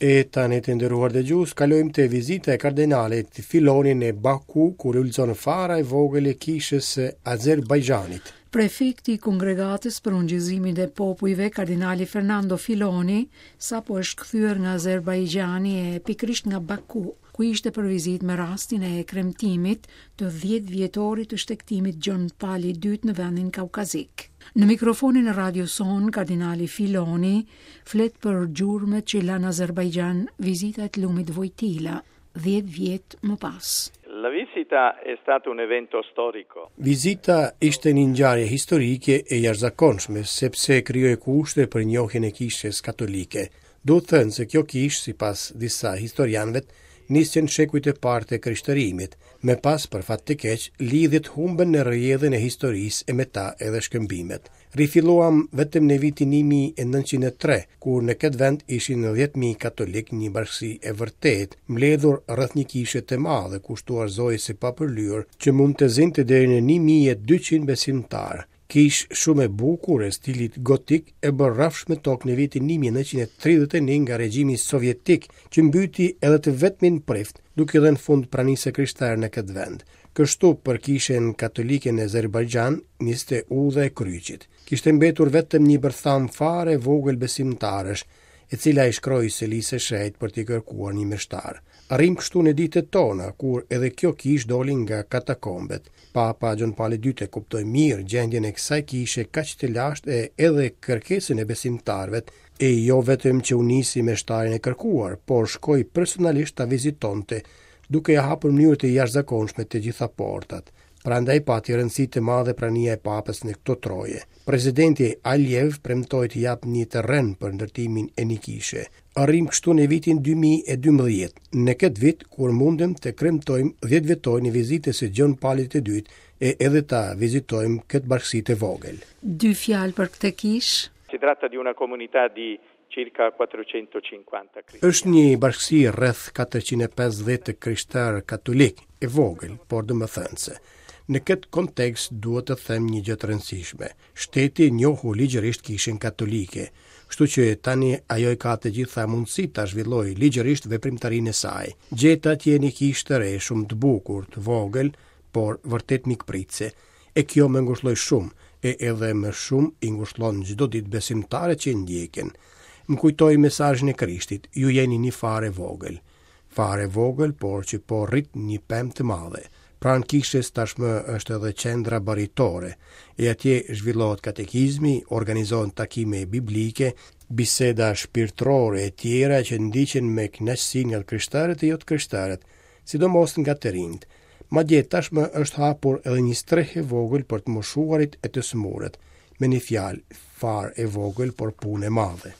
E tani të nderuar dëgjues, kalojmë te vizita e kardinalit Filoni në Baku, ku lulëzon fara e vogël e kishës së Azerbajxhanit. Prefekti i Kongregatës për Ungjillëzimin e Popujve, kardinali Fernando Filoni, sapo është kthyer nga Azerbajxhani e pikërisht nga Baku, ku ishte për vizitë me rastin e kremtimit të 10 vjetorit të shtegtimit Gjon Pali II në vendin kaukazik. Në mikrofonin e radios sonë, kardinali Filoni flet për gjurmët që la në Azerbajxhan vizita e të lumit Vojtila, 10 vjet më pas. La visita è stato un evento storico. Vizita ishte një ngjarje historike e jashtëzakonshme, sepse krijoi kushte për njohjen e Kishës Katolike. Duhet thënë se kjo kishë, sipas disa historianëve, nisi në shekujt e parë të krishterimit. Më pas, për fat të keq, lidhjet humbën në rrjedhën e historisë e me ta edhe shkëmbimet. Rifilluam vetëm në vitin 1903, kur në këtë vend ishin 10.000 katolikë një bashkësi e vërtetë, mbledhur rreth një kishe të madhe kushtuar Zojës së Papërlyer, që mund të zinte deri në 1200 besimtarë. Kishë shumë e bukur e stilit gotik e bërë rrafsh me tokë në vitin 1931 nga regjimi sovjetik, që mbyti edhe të vetmin prift, duke dhënë fund pranisë së krishterë në këtë vend. Kështu për kishën katolike në Azerbajxhan niste udha e kryqit. Kishte mbetur vetëm një bërthamë fare e vogël besimtarësh, e cila i shkroi Selisë së Shenjtë për t'i kërkuar një meshtar. Arrijmë kështu në ditët tona, kur edhe kjo kishë doli nga katakombet. Papa Gjon Pali II e kuptoi mirë gjendjen e kësaj kishe kaq të lashtë e edhe kërkesën e besimtarëve, e jo vetëm që u nisi meshtarin e kërkuar, por shkoi personalisht ta vizitonte duke ia hapur në mënyrë të jashtëzakonshme të gjitha portat. Prandaj pati rëndësi të madhe prania e Papës në këto troje. Presidenti Aliyev premtoi të japë një terren për ndërtimin e një kishe. Arrijmë kështu në vitin 2012, në këtë vit kur mundëm të kremtojmë 10 vjetorin e vizitës së Gjon Palit të Dytë e edhe ta vizitojmë këtë bashkësi të vogël. Dy fjalë për këtë kishë. Si tratta di una comunità di circa 450 cristiani. Është një bashkësi rreth 450 të krishterë katolikë, e vogël, por domethënëse. Në këtë kontekst duhet të them një gjë të rëndësishme. Shteti njohu ligjërisht kishën katolike, kështu që tani ajo i ka të gjitha mundësitë ta zhvillojë ligjërisht veprimtarinë e saj. Gjeta atje një kishë të re, shumë të bukur, të vogël, por vërtet mikpritëse. E kjo më ngushëlloi shumë, e edhe më shumë i ngushëllon çdo ditë besimtarët që e ndjekin. Më kujtoi mesazhin e Krishtit, ju jeni një farë e vogël. Farë e vogël, por që po rrit një pemë të madhe. Pranë kishës tashmë është edhe qendra baritore, e atje zhvillohet katekizmi, organizohen takime biblike, biseda shpirtërore e tjera që ndiqen me kënaqësi nga të krishterët e jo të krishterët, sidomos nga të rinjtë. Madje tashmë është hapur edhe një strehë e vogël për të moshuarit e të sëmurët. Me një fjalë, farë e vogël, por punë e madhe.